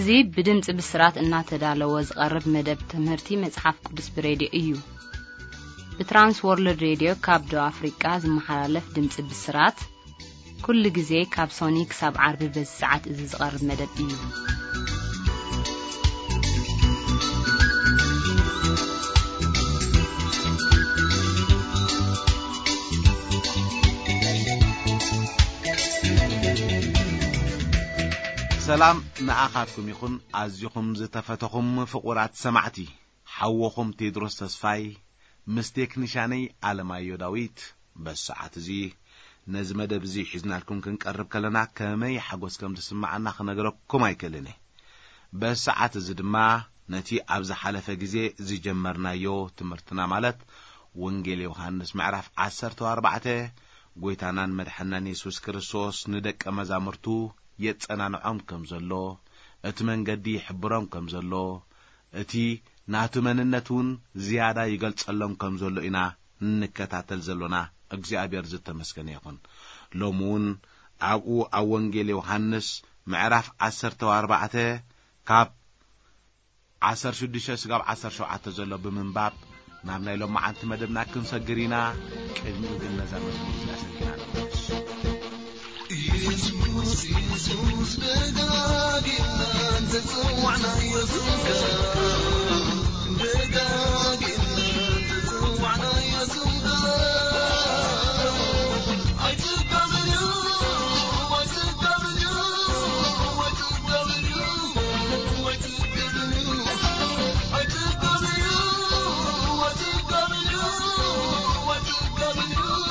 እዚ ብድምጺ ብስራት እናተዳለወ ዝቐርብ መደብ ትምህርቲ መጽሓፍ ቅዱስ ብሬድዮ እዩ። ብትራንስ ወርልድ ሬድዮ ካብ ደቡብ ኣፍሪቃ ዝመሓላለፍ ድምጺ ብስራት፣ ኩሉ ግዜ ካብ ሶኒ ክሳብ ዓርቢ በዚ ሰዓት እዚ ዝቐርብ መደብ እዩ። ሰላም ንኣኻትኩም ይኹን፣ ኣዚኹም ዝተፈተኹም ፍቑራት ሰማዕቲ። ሓወኹም ቴድሮስ ተስፋይ ምስ ቴክኒሻነይ ኣለማዮ ዳዊት። በዚ ሰዓት እዚ ነዚ መደብ እዚ ሒዝናልኩም ክንቀርብ ከለና ከመይ ሓጎስ ከም ዝስምዓና ክነግረኩም ኣይክእልን እየ። በዚ ሰዓት እዚ ድማ ነቲ ኣብ ዝሓለፈ ግዜ ዝጀመርናዮ ትምህርትና፣ ማለት ወንጌል ዮሃንስ ምዕራፍ ዓሰርተ ኣርባዕተ፣ ጎይታናን መድሓናን የሱስ ክርስቶስ ንደቀ መዛሙርቱ የጸናንዖም ከም ዘሎ፣ እቲ መንገዲ ይሕብሮም ከም ዘሎ፣ እቲ ናቱ መንነት እውን ዝያዳ ይገልጸሎም ከም ዘሎ ኢና እንከታተል ዘሎና። እግዚኣብሔር ዝተመስገነ ይኹን። ሎሚ እውን ኣብኡ ኣብ ወንጌል ዮሃንስ ምዕራፍ ዓሰርተ ኣርባዕተ ካብ ዓሰርተ ሽዱሽተ ስጋብ ዓሰርተ ሸውዓተ ዘሎ ብምንባብ ናብ ናይ ሎማዓንቲ መደብና ክንሰግር ኢና። ቅድሚኡ ግን ነዛ መዝሙር እዚኣ ሰጊና ንመለስ። ኢየሱስ፣ ኢየሱስ፣ ደጋጊምና እንተጸዋዕናዮ ስምካ፣ ደጋጊምና እንተጸዋዕናዮ ስምካ፣ ኣይትጋብን እዩ፣ ኣይትጋብን እዩ፣ ኣይትጋብን እዩ፣ ኣይትጋብን እዩ፣ ኣይትጋብን እዩ፣ ኣይትጋብን እዩ።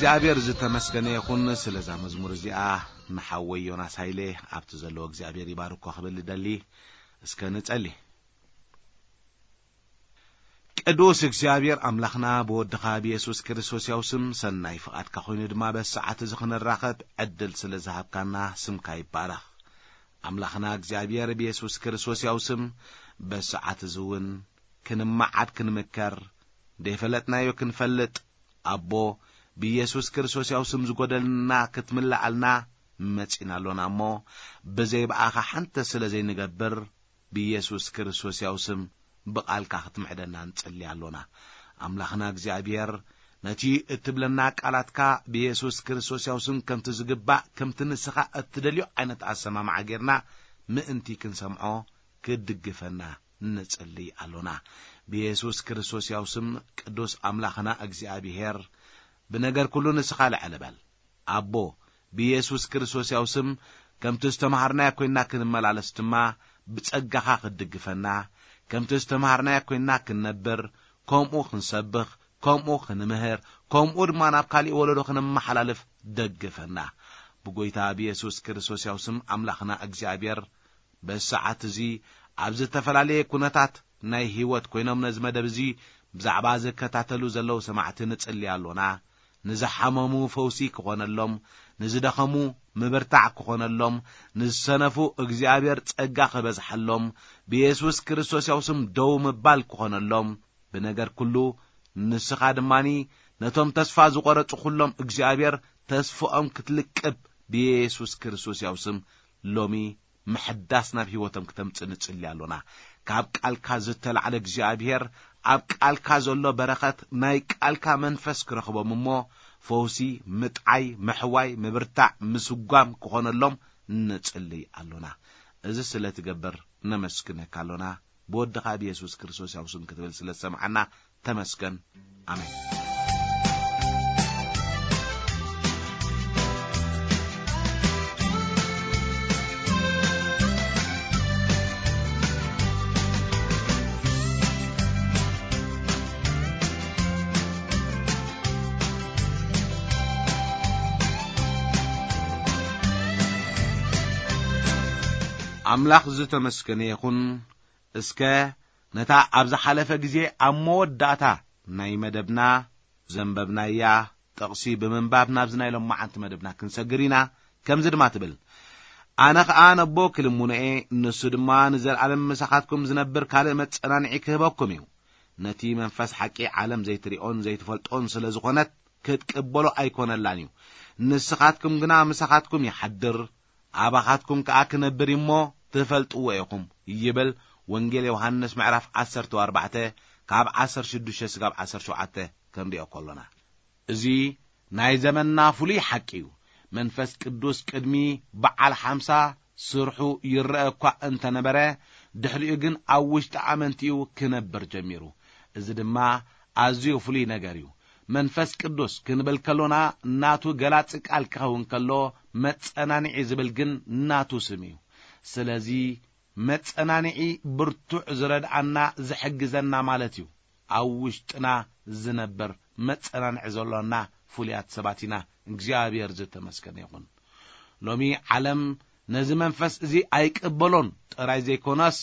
እግዚኣብሔር ዝተመስገነ ይኹን። ስለዛ መዝሙር እዚኣ ንሓወይ ዮናስ ሃይለ ኣብቲ ዘለዎ እግዚኣብሔር ይባርኮ ክብል ይደሊ። እስከ ንጸሊ። ቅዱስ እግዚኣብሔር ኣምላኽና፣ ብወድኻ ብየሱስ ክርስቶስ ያው ስም ሰናይ ፍቓድካ ኮይኑ ድማ በዚ ሰዓት እዚ ክንራኸብ ዕድል ስለ ዝሃብካና ስምካ ይባረኽ። ኣምላኽና እግዚኣብሔር፣ ብየሱስ ክርስቶስ ያው ስም በዚ ሰዓት እዚ እውን ክንመዓድ ክንምከር፣ ዘይፈለጥናዮ ክንፈልጥ፣ ኣቦ፣ ብየሱስ ክርስቶስ ያው ስም ዝጎደልና ክትምልኣልና መጺና ኣሎና እሞ፣ ብዘይ ብኣኻ ሓንቲ ስለ ዘይንገብር፣ ብየሱስ ክርስቶስ ያው ስም ብቓልካ ክትምዕደና ንጽሊ ኣሎና። ኣምላኽና እግዚኣብሔር፣ ነቲ እትብለና ቃላትካ ብየሱስ ክርስቶስ ያው ስም ከምቲ ዝግባእ፣ ከምቲ ንስኻ እትደልዮ ዓይነት ኣሰማምዓ ጌርና ምእንቲ ክንሰምዖ፣ ክትድግፈና ንጽሊ ኣሎና። ብየሱስ ክርስቶስ ያው ስም፣ ቅዱስ ኣምላኽና እግዚኣብሔር፣ ብነገር ኩሉ ንስኻ ልዕል በል። ኣቦ፣ ብየሱስ ክርስቶስ ያው ስም፣ ከምቲ ዝተምሃርናዮ ኮይንና ክንመላለስ ድማ፣ ብጸጋኻ ክትድግፈና፣ ከምቲ ዝተምሃርናዮ ኮይንና ክንነብር፣ ከምኡ ክንሰብኽ፣ ከምኡ ክንምህር፣ ከምኡ ድማ ናብ ካሊእ ወለዶ ክነመሓላልፍ ደግፈና። ብጎይታ ብየሱስ ክርስቶስ ያው ስም ኣምላኽና እግዚኣብሔር፣ በዚ ሰዓት እዚ ኣብ ዝተፈላለየ ኩነታት ናይ ህይወት ኮይኖም ነዚ መደብ እዚ ብዛዕባ ዝከታተሉ ዘለዉ ሰማዕቲ ንጽሊ ኣሎና። ንዝሓመሙ ፈውሲ ክኾነሎም፣ ንዝደኸሙ ምብርታዕ ክኾነሎም፣ ንዝሰነፉ እግዚኣብሔር ጸጋ ክበዝሓሎም፣ ብየሱስ ክርስቶስ ያው ስም ደው ምባል ክኾነሎም፣ ብነገር ኩሉ ንስኻ ድማኒ ነቶም ተስፋ ዝቖረጹ ኩሎም እግዚኣብሔር ተስፍኦም ክትልቅብ ብየሱስ ክርስቶስ ያው ስም ሎሚ ምሕዳስ ናብ ህይወቶም ክተምጽእ ንጽሊ ኣሎና። ካብ ቃልካ ዝተላዕለ እግዚኣብሔር፣ ኣብ ቃልካ ዘሎ በረኸት ናይ ቃልካ መንፈስ ክረኽቦም እሞ፣ ፈውሲ፣ ምጥዓይ፣ ምሕዋይ፣ ምብርታዕ፣ ምስጓም ክኾነሎም ንጽሊ ኣሎና። እዚ ስለ ትገብር ነመስግነካ ኣሎና። ብወድኻ ብየሱስ ክርስቶስ ያው ስም ክትብል ስለ ዝሰምዓና ተመስገን። ኣሜን። ኣምላኽ ዝተመስገነ ይኹን። እስከ ነታ ኣብ ዝሓለፈ ግዜ ኣብ መወዳእታ ናይ መደብና ዘንበብናያ ጥቕሲ ብምንባብ ናብዚ ናይ ሎማዓንቲ መደብና ክንሰግር ኢና። ከምዚ ድማ ትብል፣ ኣነ ኸኣ ነቦ ክልምኖ እየ፣ ንሱ ድማ ንዘለኣለም ምሳኻትኩም ዝነብር ካልእ መጸናንዒ ክህበኩም እዩ። ነቲ መንፈስ ሓቂ ዓለም ዘይትሪኦን ዘይትፈልጦን ስለ ዝኾነት ክትቅበሎ ኣይኮነላን እዩ። ንስኻትኩም ግና ምሳኻትኩም ይሓድር፣ ኣባኻትኩም ከኣ ክነብር እሞ ትፈልጥዎ ኢኹም ይብል ወንጌል ዮሃንስ ምዕራፍ ዓሰርተ ኣርባዕተ ካብ ዓሰርተ ሽዱሽተ ስጋብ ዓሰርተ ሸውዓተ ክንሪኦ ከሎና። እዚ ናይ ዘመንና ፍሉይ ሓቂ እዩ። መንፈስ ቅዱስ ቅድሚ በዓል ሓምሳ ስርሑ ይረአ እኳ እንተነበረ፣ ድሕሪኡ ግን ኣብ ውሽጢ ኣመንቲኡ ክነብር ጀሚሩ። እዚ ድማ ኣዝዩ ፍሉይ ነገር እዩ። መንፈስ ቅዱስ ክንብል ከሎና ናቱ ገላጺ ቃል ክኸውን ከሎ፣ መጸናንዒ ዝብል ግን ናቱ ስም እዩ። ስለዚ መጸናንዒ ብርቱዕ ዝረድኣና ዝሕግዘና ማለት እዩ። ኣብ ውሽጥና ዝነብር መጸናንዒ ዘሎና ፍሉያት ሰባት ኢና። እግዚኣብሔር ዝተመስገነ ይኹን። ሎሚ ዓለም ነዚ መንፈስ እዚ ኣይቅበሎን ጥራይ ዘይኮነስ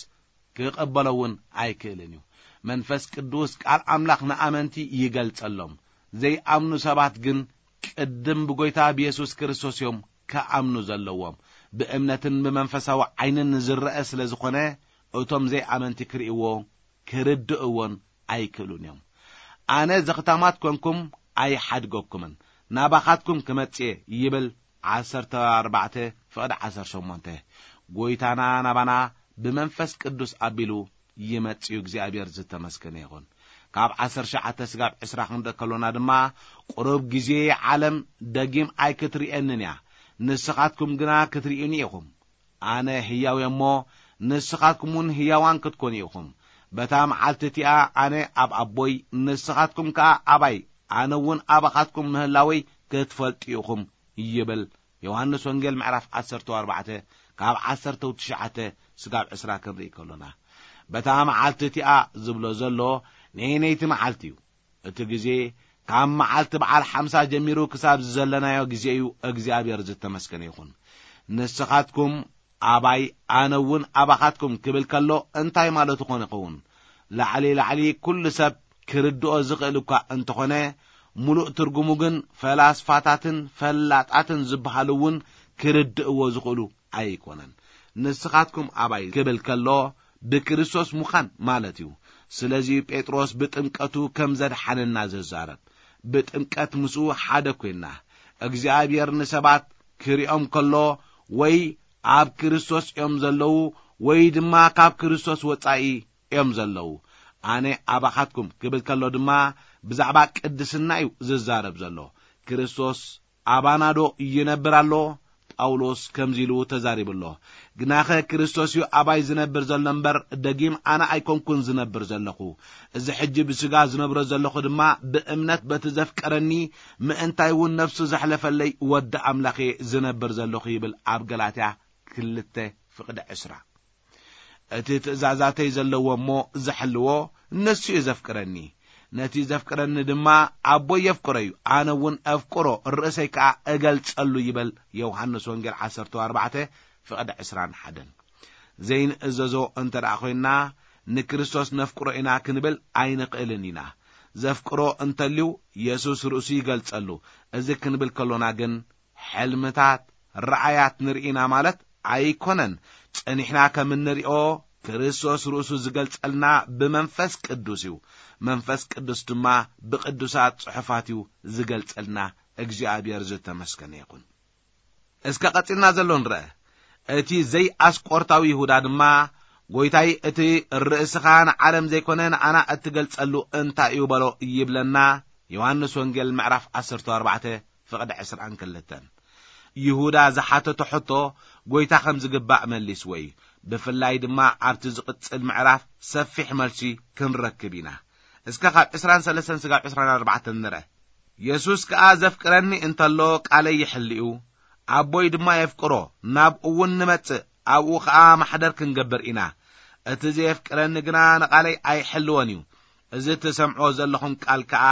ክቕበሎ እውን ኣይክእልን እዩ። መንፈስ ቅዱስ ቃል ኣምላኽ ንኣመንቲ ይገልጸሎም። ዘይኣምኑ ሰባት ግን ቅድም ብጎይታ ብየሱስ ክርስቶስ እዮም ክኣምኑ ዘለዎም። ብእምነትን ብመንፈሳዊ ዓይንን ዝረአ ስለ ዝኾነ፣ እቶም ዘይኣመንቲ ክርእይዎ ክርድእዎን ኣይክእሉን እዮም። ኣነ ዘኽታማት ኮንኩም ኣይሓድገኩምን፣ ናባኻትኩም ክመጽእ እየ ይብል። ዓሰርተ ኣርባዕተ ፍቕዲ ዓሰርተ ሸሞንተ። ጎይታና ናባና ብመንፈስ ቅዱስ ኣቢሉ ይመጽእ እዩ። እግዚኣብሔር ዝተመስገነ ይኹን። ካብ ዓሰርተ ትሽዓተ ስጋብ ዕስራ ክንርኢ ከሎና ድማ፣ ቁሩብ ግዜ ዓለም ደጊም ኣይክትርእየንን እያ፣ ንስኻትኩም ግና ክትርእዩኒ ኢኹም። ኣነ ህያው እየ እሞ፣ ንስኻትኩም እውን ህያዋን ክትኮኑ ኢኹም። በታ መዓልቲ እቲኣ ኣነ ኣብ ኣቦይ፣ ንስኻትኩም ከኣ ኣባይ፣ ኣነ እውን ኣባኻትኩም ምህላወይ ክትፈልጡ ኢኹም ይብል። ዮሃንስ ወንጌል ምዕራፍ ዓሰርተ ኣርባዕተ ካብ ዓሰርተ ትሽዓተ ስጋብ ዕስራ ክንርኢ ከሎና፣ በታ መዓልቲ እቲኣ ዝብሎ ዘሎ ነየነይቲ መዓልቲ እዩ? እቲ ግዜ ካብ መዓልቲ በዓል ሓምሳ ጀሚሩ ክሳብ ዘለናዮ ግዜ እዩ እግዚኣብሔር ዝተመስገነ ይኹን። ንስኻትኩም ኣባይ ኣነ እውን ኣባኻትኩም ክብል ከሎ እንታይ ማለቱ ኮን ይኸውን? ላዕሊ ላዕሊ ኩሉ ሰብ ክርድኦ ዝኽእል እኳ እንተኾነ፣ ሙሉእ ትርጉሙ ግን ፈላስፋታትን ፈላጣትን ዝበሃሉ እውን ክርድእዎ ዝኽእሉ ኣይኮነን። ንስኻትኩም ኣባይ ክብል ከሎ ብክርስቶስ ምዃን ማለት እዩ። ስለዚ ጴጥሮስ ብጥምቀቱ ከም ዘድሓነና ዝዛረብ፣ ብጥምቀት ምስኡ ሓደ ኮይና። እግዚኣብሔር ንሰባት ክሪኦም ከሎ ወይ ኣብ ክርስቶስ እዮም ዘለዉ ወይ ድማ ካብ ክርስቶስ ወጻኢ እዮም ዘለዉ። ኣነ ኣባኻትኩም ክብል ከሎ ድማ ብዛዕባ ቅድስና እዩ ዝዛረብ ዘሎ። ክርስቶስ ኣባናዶ ይነብር ኣሎ? ጳውሎስ ከምዚ ኢሉ ተዛሪቡ ኣሎ። ግናኸ ክርስቶስ እዩ ኣባይ ዝነብር ዘሎ እምበር፣ ደጊም ኣነ ኣይኮንኩን ዝነብር ዘለኹ። እዚ ሕጂ ብስጋ ዝነብሮ ዘለኹ ድማ ብእምነት በቲ ዘፍቀረኒ፣ ምእንታይ እውን ነፍሱ ዘሕለፈለይ ወዲ ኣምላኽ እየ ዝነብር ዘለኹ ይብል ኣብ ገላትያ ክልተ ፍቕዲ ዕስራ። እቲ ትእዛዛተይ ዘለዎ እሞ ዝሕልዎ ንሱ እዩ ዘፍቅረኒ። ነቲ ዘፍቅረኒ ድማ ኣቦይ የፍቅሮ እዩ፣ ኣነ እውን ኣፍቅሮ ርእሰይ ከኣ እገልጸሉ ይብል ዮሃንስ ወንጌል ዓሰርተ ኣርባዕተ ፍቕዲ ዕስራን ሓደን። ዘይንእዘዞ እንተ ደኣ ኮይንና ንክርስቶስ ነፍቅሮ ኢና ክንብል ኣይንኽእልን ኢና። ዘፍቅሮ እንተልዩ የሱስ ርእሱ ይገልጸሉ። እዚ ክንብል ከሎና ግን ሕልምታት፣ ረኣያት ንርኢና ማለት ኣይኮነን። ጸኒሕና ከም እንሪኦ ክርስቶስ ርእሱ ዝገልጸልና ብመንፈስ ቅዱስ እዩ። መንፈስ ቅዱስ ድማ ብቅዱሳት ጽሑፋት እዩ ዝገልጸልና። እግዚኣብሔር ዝተመስገነ ይኹን። እስከ ቀጺልና ዘሎ ንርአ። እቲ ዘይኣስቆርታዊ ይሁዳ ድማ፣ "ጎይታይ፣ እቲ ርእስኻ ንዓለም ዘይኮነ ንኣና እትገልጸሉ እንታይ እዩ?" በሎ ይብለና። ዮሃንስ ወንጌል ምዕራፍ ዓሰርተ ኣርባዕተ ፍቕዲ ዕስራን ክልተን። ይሁዳ ዝሓተቶ ሕቶ ጎይታ ከም ዝግባእ መሊስዎ እዩ። ብፍላይ ድማ ኣብቲ ዝቕጽል ምዕራፍ ሰፊሕ መልሲ ክንረክብ ኢና። እስከ ካብ ዕስራን ሰለስተን ስጋብ ዕስራን ኣርባዕተን ንርአ። የሱስ ከኣ ዘፍቅረኒ እንተሎ ቃለይ ይሕልዩ፣ ኣቦይ ድማ የፍቅሮ፣ ናብኡ እውን ንመጽእ፣ ኣብኡ ኸኣ ማሕደር ክንገብር ኢና። እቲ ዘየፍቅረኒ ግና ንቓለይ ኣይሕልዎን እዩ። እዚ ትሰምዖ ዘለኹም ቃል ከኣ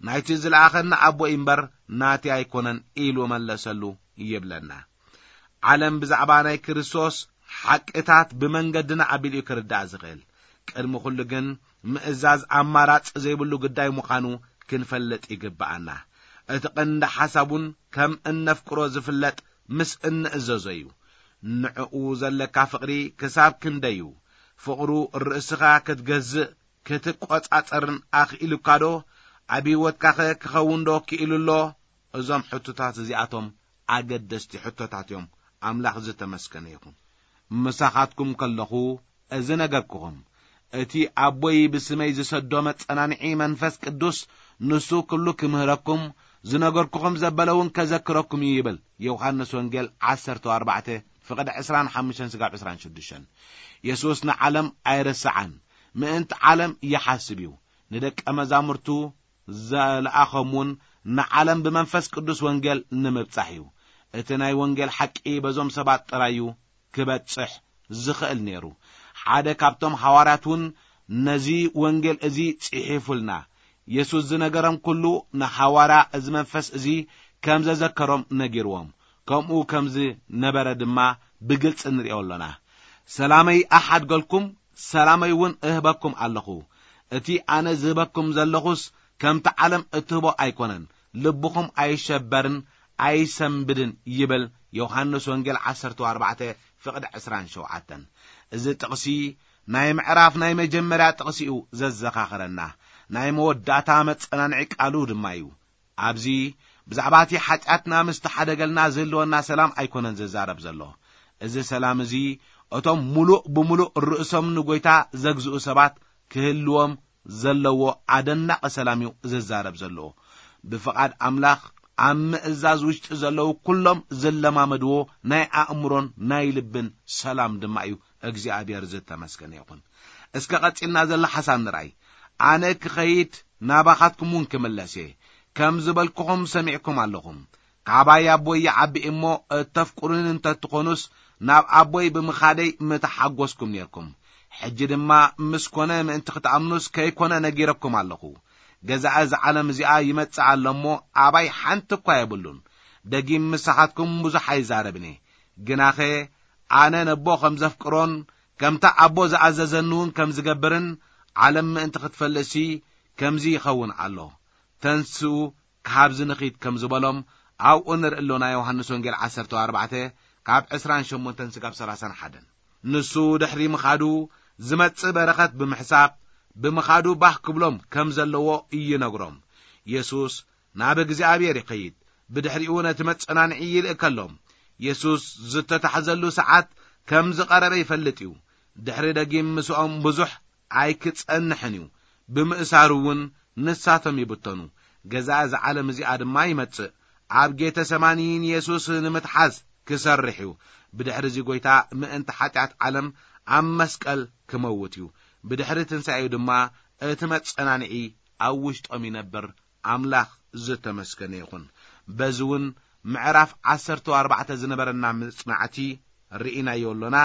ናይቲ ዝለኣኸኒ ኣቦይ እምበር ናተይ ኣይኮነን ኢሉ መለሰሉ ይብለና። ዓለም ብዛዕባ ናይ ክርስቶስ ሓቅታት ብመንገድና ኣቢሉ እዩ ክርዳእ ዝኽእል። ቅድሚ ኩሉ ግን ምእዛዝ ኣማራጺ ዘይብሉ ጉዳይ ምዃኑ ክንፈልጥ ይግብኣና። እቲ ቀንዲ ሓሳብ እውን ከም እነፍቅሮ ዝፍለጥ ምስ እንእዘዞ እዩ። ንዕኡ ዘለካ ፍቕሪ ክሳብ ክንደይ እዩ? ፍቕሩ ርእስኻ ክትገዝእ ክትቆጻጸርን ኣኽኢሉካዶ? ኣብ ህይወትካኸ ክኸውን ዶ ክኢሉ ኣሎ? እዞም ሕቶታት እዚኣቶም ኣገደስቲ ሕቶታት እዮም። ኣምላኽ ዝተመስገነ ይኹን። ምሳኻትኩም ከለኹ እዚ ነገርኩኹም። እቲ ኣቦይ ብስመይ ዝሰዶ መጸናንዒ መንፈስ ቅዱስ፣ ንሱ ኩሉ ክምህረኩም፣ ዝነገርኩኹም ዘበለ እውን ከዘክረኩም እዩ ይብል። ዮሃንስ ወንጌል ዓሰርተ ኣርባዕተ ፍቕዲ ዕስራን ሓሙሽተን ስጋብ ዕስራን ሽዱሽተን። የሱስ ንዓለም ኣይረስዓን፣ ምእንቲ ዓለም ይሓስብ እዩ። ንደቀ መዛሙርቱ ዘለኣኸም እውን ንዓለም ብመንፈስ ቅዱስ ወንጌል ንምብጻሕ እዩ። እቲ ናይ ወንጌል ሓቂ በዞም ሰባት ጥራይ እዩ ክበጽሕ ዝኽእል ነይሩ። ሓደ ካብቶም ሃዋርያት እውን ነዚ ወንጌል እዚ ጽሒፉልና። የሱስ ዝነገሮም ኩሉ ንሃዋርያ እዚ መንፈስ እዚ ከም ዘዘከሮም ነጊርዎም። ከምኡ ከም ዝነበረ ድማ ብግልጺ ንርእዮ ኣሎና። "ሰላመይ ኣሓድገልኩም፣ ሰላመይ እውን እህበኩም ኣለኹ። እቲ ኣነ ዝህበኩም ዘለኹስ ከምቲ ዓለም እትህቦ ኣይኮነን። ልብኹም ኣይሸበርን ኣይሰንብድን" ይብል ዮሃንስ ወንጌል ዓሰርተ ኣርባዕተ ፍቕዲ ዕስራን ሸውዓተን። እዚ ጥቕሲ ናይ ምዕራፍ ናይ መጀመርያ ጥቕሲ እዩ ዘዘኻኽረና። ናይ መወዳእታ መጸናንዒ ቃሉ ድማ እዩ። ኣብዚ ብዛዕባ እቲ ሓጢኣትና ምስ ተሓደገልና ዝህልወና ሰላም ኣይኮነን ዝዛረብ ዘሎ። እዚ ሰላም እዚ እቶም ምሉእ ብምሉእ ርእሶም ንጎይታ ዘግዝኡ ሰባት ክህልዎም ዘለዎ ኣደናቂ ሰላም እዩ ዝዛረብ ዘሎ። ብፍቓድ ኣምላኽ ኣብ ምእዛዝ ውሽጢ ዘለዉ ኩሎም ዝለማመድዎ ናይ ኣእምሮን ናይ ልብን ሰላም ድማ እዩ። እግዚኣብሔር ዝተመስገነ ይኹን። እስከ ቀጺልና ዘሎ ሓሳብ ንርኣይ። "ኣነ ክኸይድ ናባኻትኩም እውን ክምለስ እየ። ከም ዝበልኩኹም ሰሚዕኩም ኣለኹም። ካባይ ኣቦይ ይዓቢ እሞ እተፍቅሩኒ እንተትኾኑስ ናብ ኣቦይ ብምኻደይ ምተሓጎስኩም ኔርኩም። ሕጂ ድማ ምስ ኮነ ምእንቲ ክትኣምኑስ ከይኮነ ነጊረኩም ኣለኹ። ገዛኢ እዚ ዓለም እዚኣ ይመጽእ ኣሎ እሞ፣ ኣባይ ሓንቲ እኳ የብሉን። ደጊም ምሳኻትኩም ብዙሕ ኣይዛረብን እየ። ግናኸ ኣነ ነቦ ከም ዘፍቅሮን ከምታ ኣቦ ዝኣዘዘኒ እውን ከም ዝገብርን፣ ዓለም ምእንቲ ክትፈልጥሲ ከምዚ ይኸውን ኣሎ። ተንስኡ፣ ካብዚ ንኺድ ከም ዝበሎም ኣብኡ ንርኢ ኣሎና። ዮሃንስ ወንጌል ዓሰርተ ኣርባዕተ ካብ ዕስራን ሸሞንተን ስጋብ ሰላሳን ሓደን። ንሱ ድሕሪ ምኻዱ ዝመጽእ በረኸት ብምሕሳብ፣ ብምኻዱ ባህ ክብሎም ከም ዘለዎ ይነግሮም። የሱስ ናብ እግዚኣብሔር ይኸይድ፣ ብድሕሪኡ ነቲ መጸናንዒ ይልእከሎም። የሱስ ዝተታሕዘሉ ሰዓት ከም ዝቐረበ ይፈልጥ እዩ። ድሕሪ ደጊም ምስኦም ብዙሕ ኣይክጸንሕን እዩ። ብምእሳሩ እውን ንሳቶም ይብተኑ። ገዛኢ እዛ ዓለም እዚኣ ድማ ይመጽእ። ኣብ ጌተ ሰማኒ ንየሱስ ንምትሓዝ ክሰርሕ እዩ። ብድሕሪ እዚ ጐይታ ምእንቲ ሓጢኣት ዓለም ኣብ መስቀል ክመውት እዩ። ብድሕሪ ትንሳኤኡ ድማ እቲ መጸናንዒ ኣብ ውሽጦም ይነብር። ኣምላኽ ዝተመስገነ ይኹን። በዚ እውን ምዕራፍ ዓሰርተ ኣርባዕተ ዝነበረና መጽናዕቲ ርኢናዮ ኣሎና።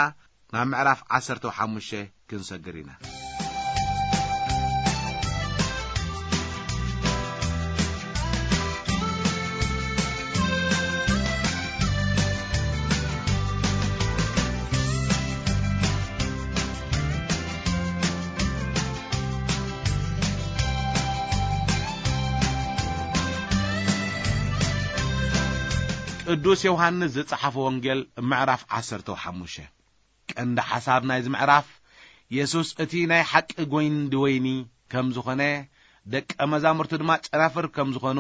ናብ ምዕራፍ ዓሰርተ ሓሙሽተ ክንሰግር ኢና። ቅዱስ ዮሃንስ ዝጸሓፎ ወንጌል ምዕራፍ ዓሰርተ ሓሙሽተ። ቀንዲ ሓሳብ ናይዚ ምዕራፍ፣ የሱስ እቲ ናይ ሓቂ ጐይንዲ ወይኒ ከም ዝኾነ፣ ደቀ መዛሙርቱ ድማ ጨናፍር ከም ዝኾኑ፣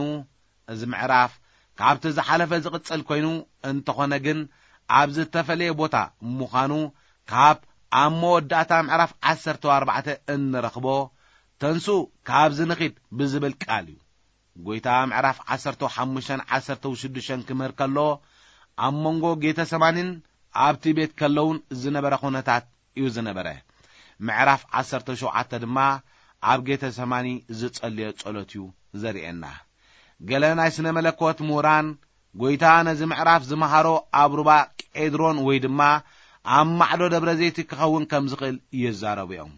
እዚ ምዕራፍ ካብቲ ዝሓለፈ ዝቕጽል ኮይኑ፣ እንተኾነ ግን ኣብ ዝተፈለየ ቦታ ምዃኑ ካብ ኣብ መወዳእታ ምዕራፍ ዓሰርተ ኣርባዕተ እንረኽቦ፣ "ተንሱ፣ ካብዚ ንኺድ" ብዝብል ቃል እዩ። ጐይታ ምዕራፍ ዓሰርተ ሓሙሽተን ዓሰርተ ሽዱሽተን ክምህር ከሎ፣ ኣብ መንጎ ጌተሰማኒን ኣብቲ ቤት ከለውን ዝነበረ ኹነታት እዩ ዝነበረ። ምዕራፍ ዓሰርተ ሸውዓተ ድማ ኣብ ጌተሰማኒ ዝጸለዮ ጸሎት እዩ ዘርእየና። ገለ ናይ ስነ መለኮት ምሁራን፣ ጐይታ ነዚ ምዕራፍ ዝመሃሮ ኣብ ሩባ ቄድሮን ወይ ድማ ኣብ ማዕዶ ደብረ ዘይቲ ክኸውን ከም ዝኽእል ይዛረቡ እዮም።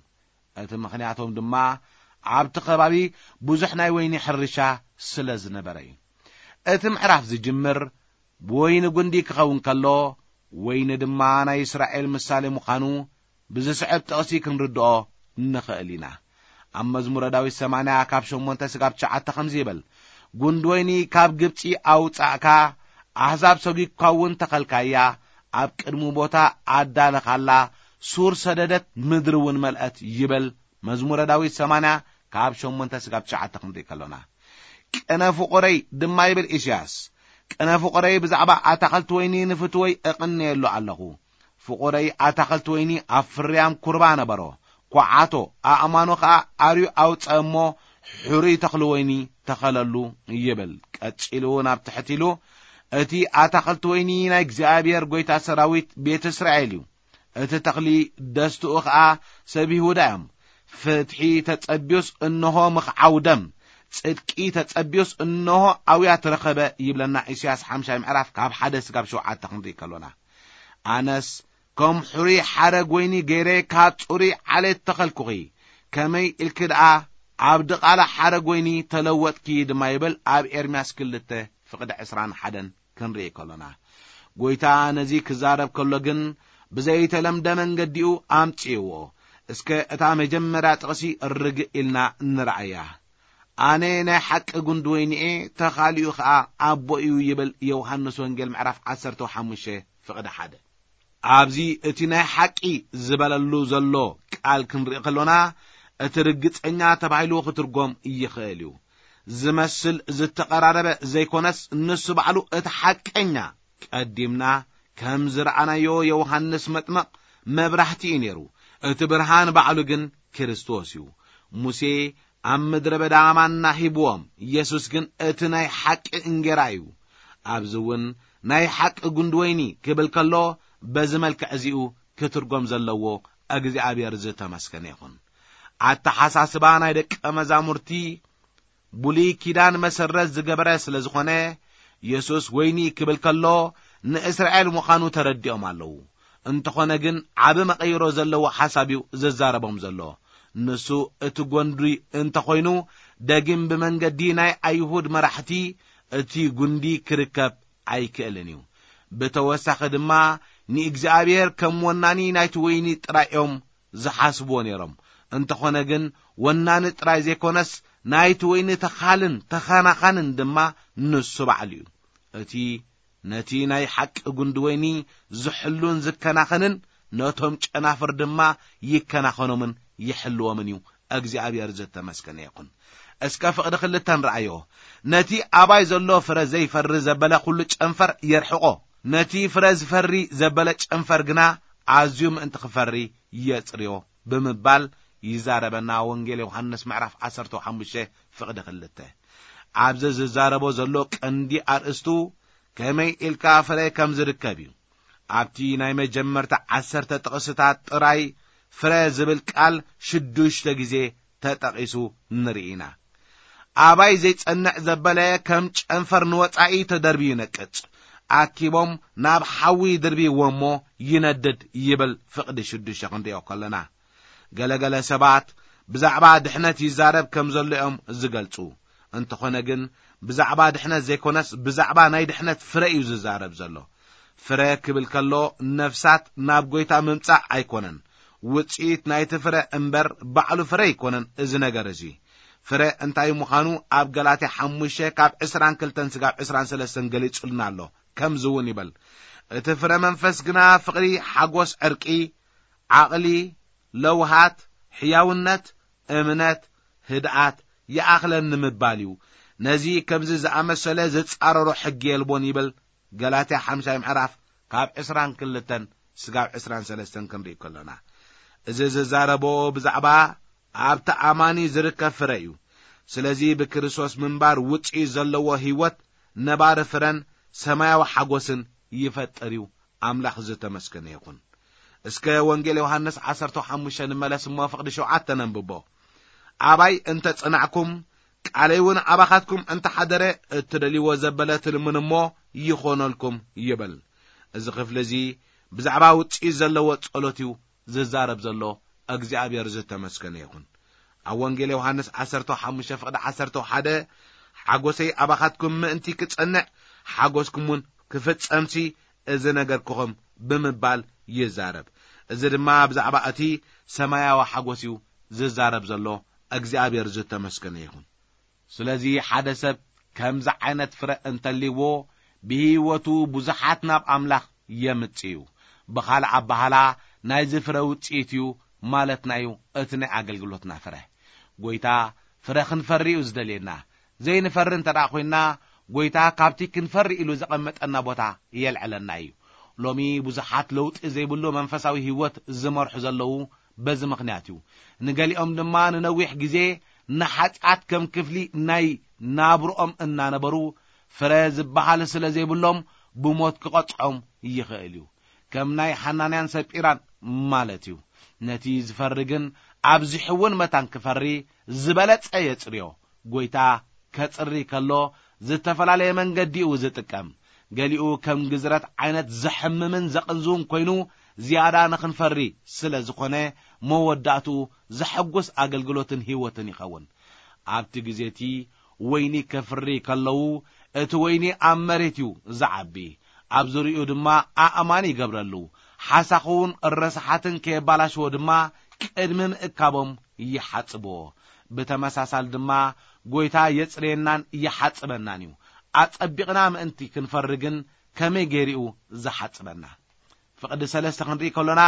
እቲ ምኽንያቶም ድማ ኣብቲ ከባቢ ብዙሕ ናይ ወይኒ ሕርሻ ስለ ዝነበረ እዩ። እቲ ምዕራፍ ዝጅምር ብወይኒ ጒንዲ ክኸውን ከሎ፣ ወይኒ ድማ ናይ እስራኤል ምሳሌ ምዃኑ ብዝስዕብ ጥቕሲ ክንርድኦ ንኽእል ኢና። ኣብ መዝሙረ ዳዊት ሰማንያ ካብ ሸሞንተ ስጋብ ትሽዓተ ከምዚ ይብል፣ "ጒንዲ ወይኒ ካብ ግብጺ ኣውጻእካ፣ ኣህዛብ ሰጒግካ እውን ተኸልካያ፣ ኣብ ቅድሙ ቦታ ኣዳለኻላ፣ ሱር ሰደደት፣ ምድሪ እውን መልአት" ይብል። መዝሙረ ዳዊት ሰማንያ ካብ ሸሞንተ ስጋብ ትሽዓተ ክንርኢ ከሎና፣ "ቅነ ፍቑረይ" ድማ ይብል ኢሳያስ። "ቅነ ፍቑረይ ብዛዕባ ኣታኸልቲ ወይኒ ንፍትወይ እቕነየሉ ኣለኹ። ፍቑረይ ኣታኸልቲ ወይኒ ኣብ ፍርያም ኩርባ ነበሮ፣ ኳዓቶ፣ ኣእማኑ ኸኣ ኣርዩ ኣውጸአ እሞ፣ ሕሩይ ተኽሊ ወይኒ ተኸለሉ" ይብል። ቀጺሉ ናብ ትሕቲ ኢሉ፣ "እቲ ኣታኸልቲ ወይኒ ናይ እግዚኣብሔር ጐይታ ሰራዊት ቤት እስራኤል እዩ። እቲ ተኽሊ ደስትኡ ኸኣ ሰብ ይሁዳ እዮም። ፍትሒ ተጸብዩስ እንሆ ምኽዓው ደም፣ ጽድቂ ተጸብዩስ እንሆ ኣውያት ረኸበ" ይብለና ኢሳያስ ሓምሻይ ምዕራፍ ካብ ሓደ ስጋብ ሸውዓተ ክንርኢ ከሎና። ኣነስ ከም ሕሩይ ሓረግ ወይኒ ገይረ ካብ ጽሩይ ዓሌት ተኸልኩኺ፣ ከመይ ኢልኪ ደኣ ኣብ ድቓላ ሓረግ ወይኒ ተለወጥኪ ድማ ይብል ኣብ ኤርምያስ ክልተ ፍቕዲ ዕስራን ሓደን ክንርኢ ከሎና። ጐይታ ነዚ ክዛረብ ከሎ ግን ብዘይተለምደ መንገዲኡ ኣምጽእዎ። እስከ እታ መጀመርያ ጥቕሲ ርግእ ኢልና ንርኣያ። "ኣነ ናይ ሓቂ ጒንዲ ወይኒ እየ፣ ተኻሊኡ ኸኣ ኣቦ እዩ" ይብል ዮሃንስ ወንጌል ምዕራፍ ዓሰርተ ሓሙሽተ ፍቕዲ ሓደ። ኣብዚ እቲ ናይ ሓቂ ዝበለሉ ዘሎ ቃል ክንርኢ ከሎና፣ እቲ ርግጸኛ ተባሂሉ ክትርጎም ይኽእል እዩ። ዝመስል ዝተቐራረበ ዘይኮነስ፣ ንሱ ባዕሉ እቲ ሓቀኛ፣ ቀዲምና ከም ዝረኣናዮ ዮሃንስ መጥምቕ መብራህቲ እዩ ነይሩ። እቲ ብርሃን ባዕሉ ግን ክርስቶስ እዩ። ሙሴ ኣብ ምድረ በዳ ማና ሂብዎም፣ የሱስ ግን እቲ ናይ ሓቂ እንጌራ እዩ። ኣብዚ እውን ናይ ሓቂ ጒንዲ ወይኒ ክብል ከሎ፣ በዚ መልክዕ እዚኡ ክትርጎም ዘለዎ እግዚኣብሔር ዝተመስገነ ይኹን። ኣተሓሳስባ ናይ ደቀ መዛሙርቲ ብሉይ ኪዳን መሰረት ዝገበረ ስለ ዝኾነ፣ የሱስ ወይኒ ክብል ከሎ ንእስራኤል ምዃኑ ተረዲኦም ኣለዉ። እንተኾነ ግን ዓቢ መቐይሮ ዘለዎ ሓሳብ እዩ ዝዛረቦም ዘሎ። ንሱ እቲ ጎንዲ እንተኾይኑ፣ ደጊም ብመንገዲ ናይ ኣይሁድ መራሕቲ እቲ ጉንዲ ክርከብ ኣይክእልን እዩ። ብተወሳኺ ድማ ንእግዚኣብሔር ከም ወናኒ ናይቲ ወይኒ ጥራይ እዮም ዝሓስብዎ ነይሮም። እንተኾነ ግን ወናኒ ጥራይ ዘይኮነስ ናይቲ ወይኒ ተኻልን ተኸናኻንን ድማ ንሱ ባዕሉ እዩ። እቲ ነቲ ናይ ሓቂ ጉንዲ ወይኒ ዝሕሉን ዝከናኸንን ነቶም ጨናፍር ድማ ይከናኸኖምን ይሕልዎምን እዩ። እግዚኣብሔር ዝተመስገነ ይኹን። እስከ ፍቕዲ ክልተን ረኣዮ። ነቲ ኣባይ ዘሎ ፍረ ዘይፈሪ ዘበለ ኩሉ ጨንፈር የርሕቆ። ነቲ ፍረ ዝፈሪ ዘበለ ጨንፈር ግና ኣዝዩ ምእንቲ ክፈሪ የጽርዮ ብምባል ይዛረበና። ወንጌል ዮሃንስ ምዕራፍ ዓሰርተ ሓሙሽተ ፍቕዲ ክልተ። ኣብዚ ዝዛረቦ ዘሎ ቀንዲ ኣርእስቱ ከመይ ኢልካ ፍረ ከም ዝርከብ እዩ። ኣብቲ ናይ መጀመርታ ዓሰርተ ጥቕስታት ጥራይ ፍረ ዝብል ቃል ሽዱሽተ ግዜ ተጠቒሱ ንርኢ ኢና። ኣባይ ዘይጸንዕ ዘበለ ከም ጨንፈር ንወጻኢ ተደርብዩ ይነቅጽ። ኣኪቦም ናብ ሓዊ ድርብይዎ እሞ ይነድድ ይብል ፍቕዲ ሽዱሽተ ክንሪኦ ከለና። ገለገለ ሰባት ብዛዕባ ድሕነት ይዛረብ ከም ዘሎ እዮም ዝገልጹ። እንተኾነ ግን ብዛዕባ ድሕነት ዘይኮነስ ብዛዕባ ናይ ድሕነት ፍረ እዩ ዝዛረብ ዘሎ። ፍረ ክብል ከሎ ነፍሳት ናብ ጎይታ ምምጻእ ኣይኮነን። ውጽኢት ናይቲ ፍረ እምበር ባዕሉ ፍረ ኣይኮነን። እዚ ነገር እዚ ፍረ እንታይ ምዃኑ ኣብ ገላትያ ሓሙሽተ ካብ ዕስራን ክልተን ስጋብ ዕስራን ሰለስተን ገሊጹልና ኣሎ። ከምዚ እውን ይበል፣ እቲ ፍረ መንፈስ ግና ፍቕሪ፣ ሓጎስ፣ ዕርቂ፣ ዓቕሊ፣ ለውሃት፣ ሕያውነት፣ እምነት፣ ህድኣት፣ ይኣኽለኒ ምባል እዩ። ነዚ ከምዚ ዝኣመሰለ ዝጻረሮ ሕጊ የልቦን ይብል። ገላትያ ሓምሻይ ምዕራፍ ካብ ዕስራን ክልተን ስጋብ ዕስራን ሰለስተን ክንርኢ ከሎና፣ እዚ ዝዛረቦ ብዛዕባ ኣብቲ ኣማኒ ዝርከብ ፍረ እዩ። ስለዚ ብክርስቶስ ምንባር ውጽኢት ዘለዎ ህይወት ነባሪ ፍረን ሰማያዊ ሓጎስን ይፈጥር እዩ። ኣምላኽ ዝተመስገነ ይኹን። እስከ ወንጌል ዮሃንስ ዓሰርተ ሓሙሽተ ንመለስ እሞ ፍቕዲ ሸውዓተ ነንብቦ። ኣባይ እንተ ጸናዕኩም፣ ቃለይ እውን ኣባኻትኩም እንተ ሓደረ፣ እትደልይዎ ዘበለ ትልምኑ እሞ ይኾነልኩም ይብል። እዚ ክፍሊ እዚ ብዛዕባ ውጽኢት ዘለዎ ጸሎት እዩ ዝዛረብ ዘሎ። እግዚኣብሔር ዝተመስገነ ይኹን። ኣብ ወንጌል ዮሃንስ ዓሰርተ ሓሙሽተ ፍቕዲ ዓሰርተ ሓደ፣ ሓጎሰይ ኣባኻትኩም ምእንቲ ክጸንዕ፣ ሓጎስኩም እውን ክፍጸምሲ እዚ ነገርኩኹም ብምባል ይዛረብ። እዚ ድማ ብዛዕባ እቲ ሰማያዊ ሓጎስ እዩ ዝዛረብ ዘሎ። እግዚኣብሔር ዝተመስገነ ይኹን። ስለዚ ሓደ ሰብ ከምዚ ዓይነት ፍረ እንተልይዎ፣ ብህይወቱ ብዙሓት ናብ ኣምላኽ የምጽእ እዩ። ብኻልእ ኣበሃላ ናይዚ ፍረ ውጽኢት እዩ ማለትና እዩ እቲ ናይ ኣገልግሎትና ፍረ። ጎይታ ፍረ ክንፈሪ እዩ ዝደልየና። ዘይንፈሪ እንተ ደኣ ኮይንና፣ ጎይታ ካብቲ ክንፈሪ ኢሉ ዘቐመጠና ቦታ የልዕለና እዩ። ሎሚ ብዙሓት ለውጢ ዘይብሉ መንፈሳዊ ህይወት ዝመርሑ ዘለዉ በዚ ምኽንያት እዩ። ንገሊኦም ድማ ንነዊሕ ግዜ ንሓጢኣት ከም ክፍሊ ናይ ናብርኦም እናነበሩ፣ ፍረ ዝበሃል ስለ ዘይብሎም ብሞት ክቐጽዖም ይኽእል እዩ። ከም ናይ ሓናንያን ሰጲራን ማለት እዩ። ነቲ ዝፈሪ ግን ኣብዚ ሕውን መታን ክፈሪ ዝበለጸ የጽርዮ። ጎይታ ከጽሪ ከሎ ዝተፈላለየ መንገዲ እዩ ዝጥቀም። ገሊኡ ከም ግዝረት ዓይነት ዘሕምምን ዘቕንዝውን ኮይኑ ዝያዳ ንኽንፈሪ ስለ ዝኾነ መወዳእትኡ ዘሐጉስ ኣገልግሎትን ህይወትን ይኸውን። ኣብቲ ግዜ እቲ ወይኒ ከፍሪ ከለዉ እቲ ወይኒ ኣብ መሬት እዩ ዝዓቢ። ኣብ ዙሪኡ ድማ ኣእማን ይገብረሉ። ሓሳኹውን ረስሓትን ከየባላሽዎ ድማ ቅድሚ ምእካቦም ይሓጽብዎ። ብተመሳሳል ድማ ጎይታ የጽርየናን ይሓጽበናን እዩ። ኣጸቢቕና ምእንቲ ክንፈሪ ግን ከመይ ገይሩ እዩ ዝሓጽበና? ፍቕዲ ሰለስተ ክንርኢ ከሎና፣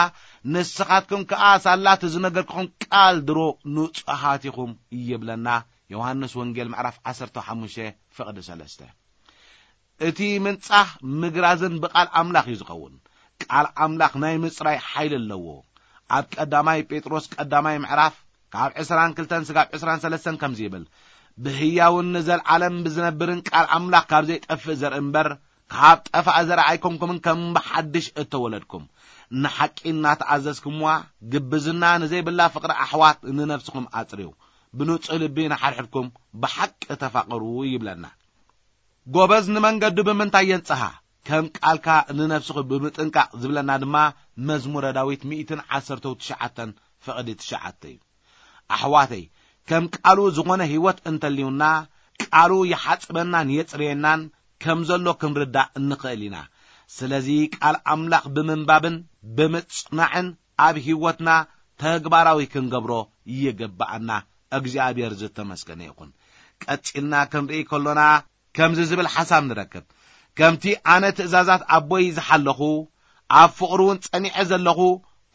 ንስኻትኩም ከኣ ሳላ እቲ ዝነገርኩኹም ቃል ድሮ ንጹሃት ኢኹም ይብለና። ዮሃንስ ወንጌል ምዕራፍ ዓሰርተ ሓሙሽተ ፍቕዲ ሰለስተ። እቲ ምንጻህ ምግራዝን ብቃል ኣምላኽ እዩ ዝኸውን። ቃል ኣምላኽ ናይ ምጽራይ ሓይሊ ኣለዎ። ኣብ ቀዳማይ ጴጥሮስ ቀዳማይ ምዕራፍ ካብ ዕስራን ክልተን ስጋብ ዕስራን ሰለስተን ከምዚ ይብል፣ ብህያውን ንዘለዓለም ብዝነብርን ቃል ኣምላኽ ካብ ዘይጠፍእ ዘርኢ እምበር ካብ ጠፋእ ዘርኢ ኣይኮንኩምን፣ ከም ብሓድሽ እተወለድኩም ንሓቂ እናተኣዘዝኩምዋ፣ ግብዝና ንዘይብላ ፍቕሪ ኣሕዋት ንነፍስኹም ኣጽርዩ፣ ብንጹህ ልቢ ንሓድሕድኩም ብሓቂ ተፋቐሩ ይብለና። ጎበዝ ንመንገዱ ብምንታይ የንጽሃ? ከም ቃልካ ንነፍስኹ ብምጥንቃቕ ዝብለና ድማ መዝሙረ ዳዊት ሚእትን ዓሰርተ ትሽዓተን ፍቕዲ ትሽዓተ እዩ። ኣሕዋተይ፣ ከም ቃሉ ዝኾነ ህይወት እንተልዩና፣ ቃሉ ይሓጽበናን የጽርየናን ከም ዘሎ ክንርዳእ እንኽእል ኢና። ስለዚ ቃል ኣምላኽ ብምንባብን ብምጽናዕን ኣብ ህይወትና ተግባራዊ ክንገብሮ ይግብኣና። እግዚኣብሔር ዝተመስገነ ይኹን። ቀጺልና ክንርኢ ከሎና፣ ከምዚ ዝብል ሓሳብ ንረክብ፣ "ከምቲ ኣነ ትእዛዛት ኣቦይ ዝሓለኹ፣ ኣብ ፍቕሩ እውን ጸኒዐ ዘለኹ፣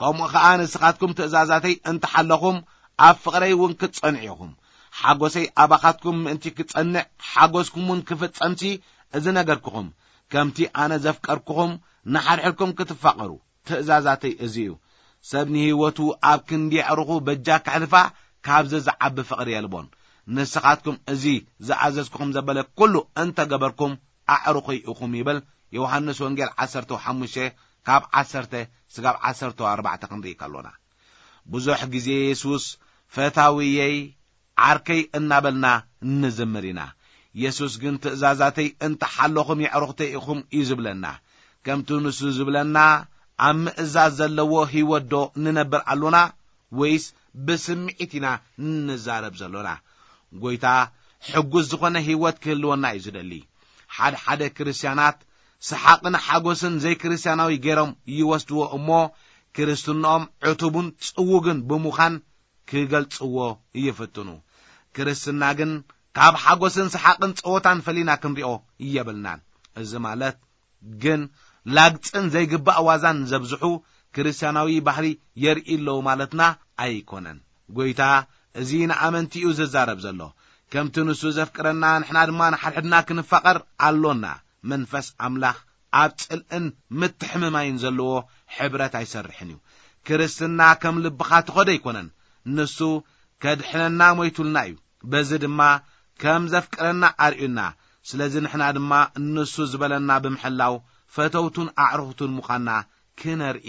ከምኡ ኸኣ ንስኻትኩም ትእዛዛተይ እንተሓለኹም፣ ኣብ ፍቕረይ እውን ክትጸንዑ ኢኹም። ሓጎሰይ ኣባኻትኩም ምእንቲ ክጸንዕ፣ ሓጎስኩም እውን ክፍጸምሲ እዚ ነገርኩኹም፣ ከምቲ ኣነ ዘፍቀርኩኹም፣ ንሓድሕድኩም ክትፋቐሩ። ትእዛዛተይ እዚ እዩ። ሰብ ንህይወቱ ኣብ ክንዲ ኣዕሩኹ በጃ ከሕልፋ፣ ካብዚ ዝዓቢ ፍቕሪ የልቦን። ንስኻትኩም እዚ ዝኣዘዝኩኹም ዘበለ ኩሉ እንተገበርኩም፣ ኣዕሩኹይ ኢኹም" ይብል። ዮሃንስ ወንጌል ዓሰርተ ሓሙሽተ ካብ ዓሰርተ ስጋብ ዓሰርተ ኣርባዕተ ክንርኢ ከሎና፣ ብዙሕ ግዜ የሱስ "ፈታውየይ፣ ዓርከይ" እናበልና ንዝምር ኢና። የሱስ ግን "ትእዛዛተይ እንተሓለኹም የዕሩኽተይ ኢኹም" እዩ ዝብለና። ከምቲ ንሱ ዝብለና፣ ኣብ ምእዛዝ ዘለዎ ህይወት ዶ ንነብር ኣሎና፣ ወይስ ብስምዒት ኢና እንዛረብ ዘሎና? ጎይታ ሕጉስ ዝኾነ ህይወት ክህልወና እዩ ዝደሊ። ሓደ ሓደ ክርስትያናት ሰሓቕን ሓጎስን ዘይክርስትያናዊ ገይሮም ይወስድዎ እሞ፣ ክርስትናኦም ዕቱብን ጽውግን ብምዃን ክገልጽዎ ይፍትኑ። ክርስትና ግን ካብ ሓጎስን ሰሓቕን ጸወታን ፈሊና ክንሪኦ የብልናን። እዚ ማለት ግን ላግጽን ዘይግባእ ዋዛን ዘብዝሑ ክርስትያናዊ ባህሪ የርኢ ኣለዉ ማለትና ኣይኮነን። ጎይታ እዚ ንኣመንቲ እዩ ዝዛረብ ዘሎ። "ከምቲ ንሱ ዘፍቅረና ንሕና ድማ ንሓድሕድና ክንፋቐር ኣሎና። መንፈስ ኣምላኽ ኣብ ጽልእን ምትሕምማይን ዘለዎ ሕብረት ኣይሰርሕን እዩ።" ክርስትና ከም ልብኻ ትኸዶ ኣይኮነን። ንሱ ከድሕነና ሞይቱልና እዩ። በዚ ድማ ከም ዘፍቅረና ኣርእዩና። ስለዚ ንሕና ድማ ንሱ ዝበለና ብምሕላው ፈተውቱን ኣዕሩኽቱን ምዃንና ክነርኢ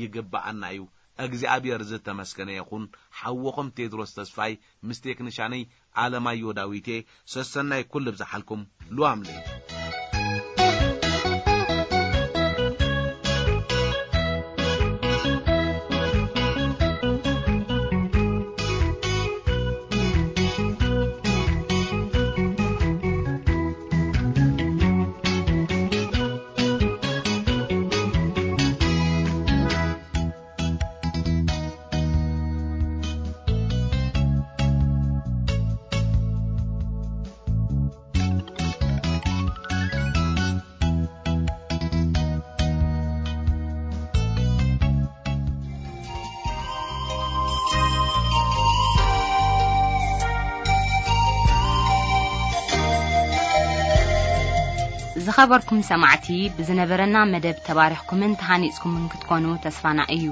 ይግብኣና እዩ። እግዚኣብሔር ዝተመስገነ ይኹን። ሓወኹም ቴድሮስ ተስፋይ ምስ ቴክኒሻነይ ኣለማዮ ዳዊቴ፣ ሰሰናይ ኩሉ ብዝሓልኩም ሉዋም ለይቲ። ዝኸበርኩም ሰማዕቲ፣ ብዝነበረና መደብ ተባሪኽኩምን ተሃኒጽኩምን ክትኮኑ ተስፋና እዩ።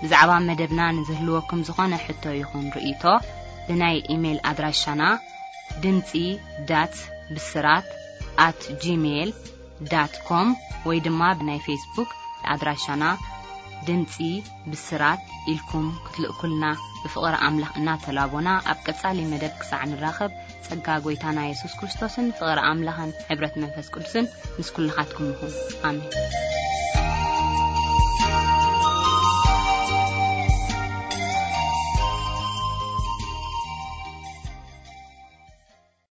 ብዛዕባ መደብና ንዝህልወኩም ዝኾነ ሕቶ ይኹን ርእይቶ፣ ብናይ ኢሜይል ኣድራሻና ድምጺ ዳት ብስራት ኣት ጂሜይል ዳት ኮም ወይ ድማ ብናይ ፌስቡክ ኣድራሻና ድምጺ ብስራት ኢልኩም ክትልእኩልና ብፍቕሪ ኣምላኽ እናተላቦና፣ ኣብ ቀጻሊ መደብ ክሳዕ ንራኸብ፣ ጸጋ ጐይታና የሱስ ክርስቶስን ፍቕሪ ኣምላኽን ሕብረት መንፈስ ቅዱስን ምስ ኩልኻትኩም ይኹን። ኣሜን።